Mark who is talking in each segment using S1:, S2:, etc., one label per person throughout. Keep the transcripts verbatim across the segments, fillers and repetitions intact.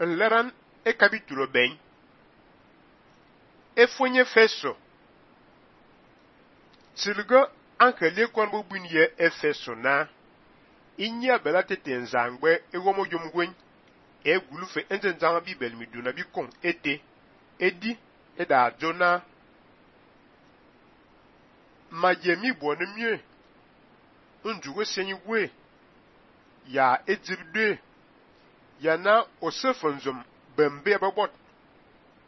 S1: Nleran e capítulo bem. E fonye feso. Tilga ankele kon bo bunye efeso na. Inya bela tete nzangwe e womo yomgwen. E gulufe entenzama bibel miduna bikon ete. Edi eda jona. Majemi bwone mye. Unjuwe senyigwe. Ya edzibde. Yana osefenzum bembe babot.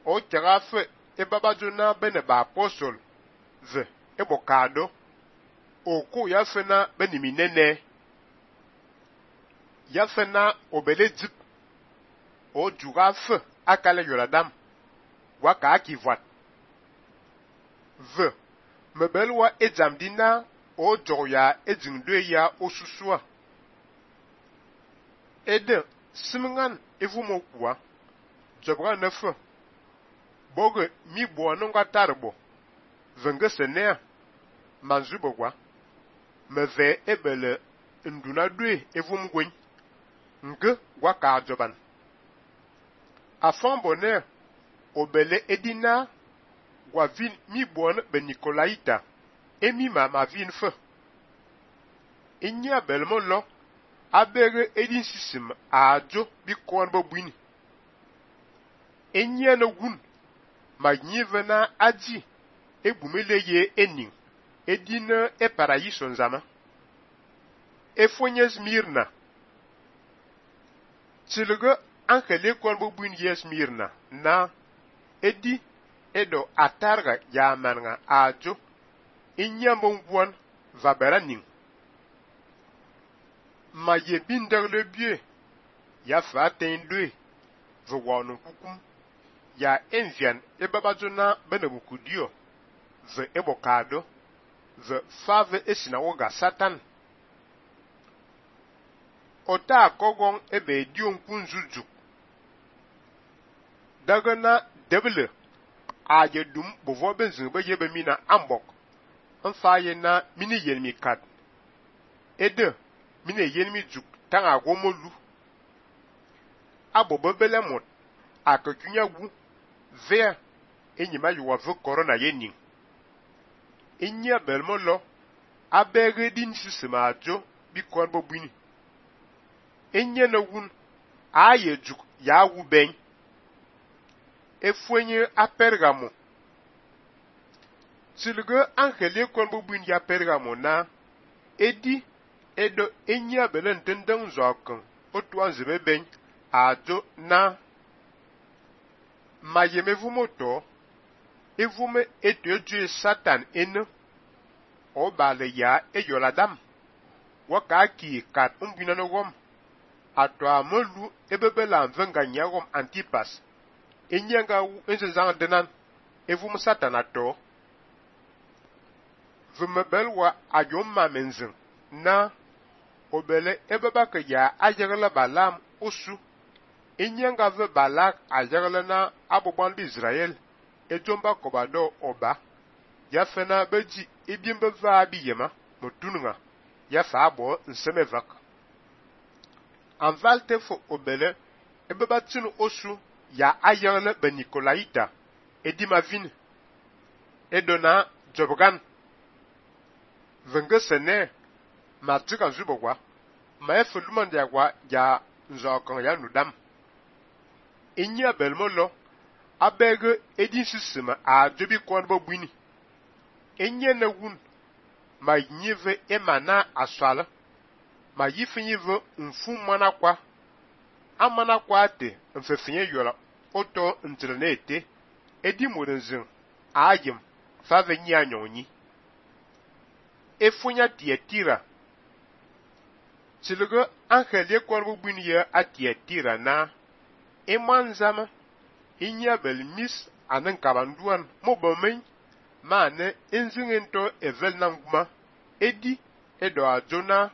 S1: O tirafe e babajona bene ba apostol. Ve e bokado. Oko ya fena beni minene. Ya fena obele dip. O jurafe akale yoladam. Waka akivat. Ve mebelwa e jamdina o joya e jingdwe ya osusua. Ede simingan evumo kwa. Jobra nefe. Boge mi bono nga tarbo. Venge senea. Manzubo kwa. Meve ebele nduna dwe evum gwen. Nge waka ajoban. Afan bonne. Obele edina. Gwa vin mi bono be Nicolaita. Emi ma ma vin fe. Inya belmo lo. Abere edin sisim a ajo bi kon bo bwini. Enye na wun. Ma nyive na aji. E bumele ye ening. Edina e parayison zama. E fonye Smirna. Tilge ankele kon bo bwini ye Smirna. Na. Edi. Edo atarga ya manga ajo. Inya mbongwan vabera ning. Ma ye binder le bie. Ya fa tendwe. Ve wano kukum. Ya envian e babajona benebukudio. Ve ebokado. Ve fave esinawoga satan. Ota akogon ebe dion kunzujuk. Dagana debele. Aye dum bovo benzin be yebe mina ambok. Nfaye na mini yelmi kat. Ede. Mine yelmi juk tanga gomolu. Abo bebele mot. Akakunya wu. Vea. Enyima yuwa ve korona yening. Inya belmo lo. Abere din sisima ajo. Bi kon bo bwini. Inya na wun. Aye juk ya wu ben. Efwenye a Pergamo. Tilge ankele kon bo bwini ya Pergamo na. Edi. Edo enya belen tendeng zokan. Otwa nzebe ben. Ajo na. Mayeme vumoto. Evume eto eju satan ene. O bale ya e yoladam. Waka ki kat umbina no wom. Ato amolu ebebela mvenga nyagom Antipas. Enyanga wu enze zang denan. Evume satan ato. Vumebelwa ayom mamenzin. Na. Obele ebebake ya ayerle balam osu. Enyanga ve balak ayerle na aboband Israel. Ejomba kobado oba. Ya fena beji ebiembe va abiyema. Motununga. Ya fa abo nsemevak. Anvalte fo obele. Ebebatinu osu. Ya ayerle be Nicolaita. Edima vin. Edona jobgan. Venge sene. Matika zubogwa. Ma efe lumande agwa ya nzokan ya nudam. Inya belmo lo. Abege edin sisima a jobi kon bo bwini. Enye na wun. Ma nyive emana aswala. Ma yifinyive mfu mana kwa. Amana kwa ate mfefinye yola. Oto ntrene ete. Edi modenzin. Ayem. Fave nyi anyonyi. Efunya Tiatira. Tilge ankele kon bo bwini ya a Tiatira na. Eman zama. Inya bel mis anen kabanduan mobomen. Mane enzingento evel nanguma. Edi edo ajona.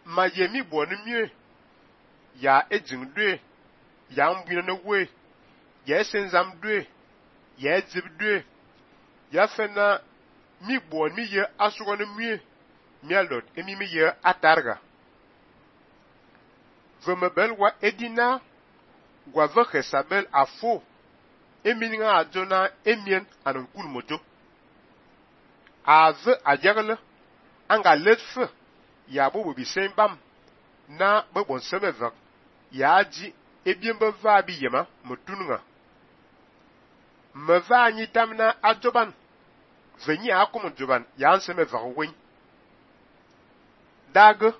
S1: Mayemi bwone mye. Ya ejingdwe. Ya mbwina no we. Ya esenzamdwe. Ya edzibdwe. Ya fena mi bwone mi ye asugone mye. Mialot emi mi ye atarga. Vemebel wa edina. gwa ve Jezabel afo emininga ajona emien anan kul mojo ave ajagle anga letfe ya bo bi sen bam na be bon sebevak ya ji ebien be va bi yema mutunga me va anyi tamna ajoban venyi akum joban ya nseme vakwen dag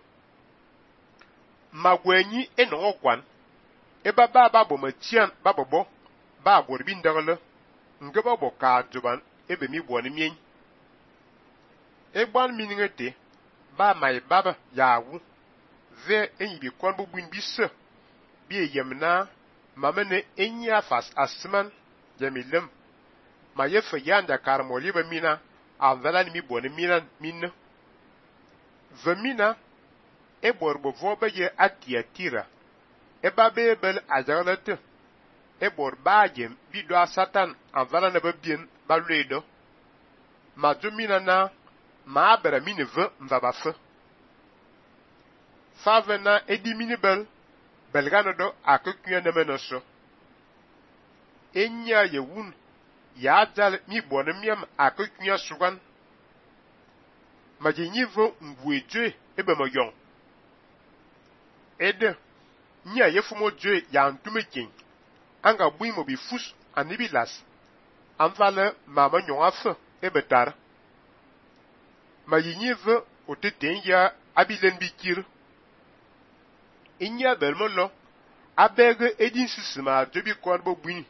S1: magwenyi eno kwan eba ba ba bo machian ba bobo ba borbi ndagle ngeba bo ka joban ebe mi bo ni mien egban miningete ba mai baba yawu ve enyi bi kwan bu buin bi se bi yemna mamene enya fas asman jamilem ma yefe yanda karmoli be mina avela ni mi bo ni mina minne ve mina e borbo vobe ye atiatira e ba bebel ajaglete e bor bajem bi do satan avela na be bien ba ledo ma jumina na ma bera mine ve mva ba fe favena edi mini bel belgano do akekuya nemeno so enya yewun ya dal mi bone miam akekuya sugan ma jinyi vo ngweje ebe mo yon ede nya yefumo je ya ntume kin anga bui mo bi fus anibilas anvale mama nyon afe ebe tar ma yinyi ve oteten ya abilen bikir inya belmolo abege edin sisima debi kwan bo buni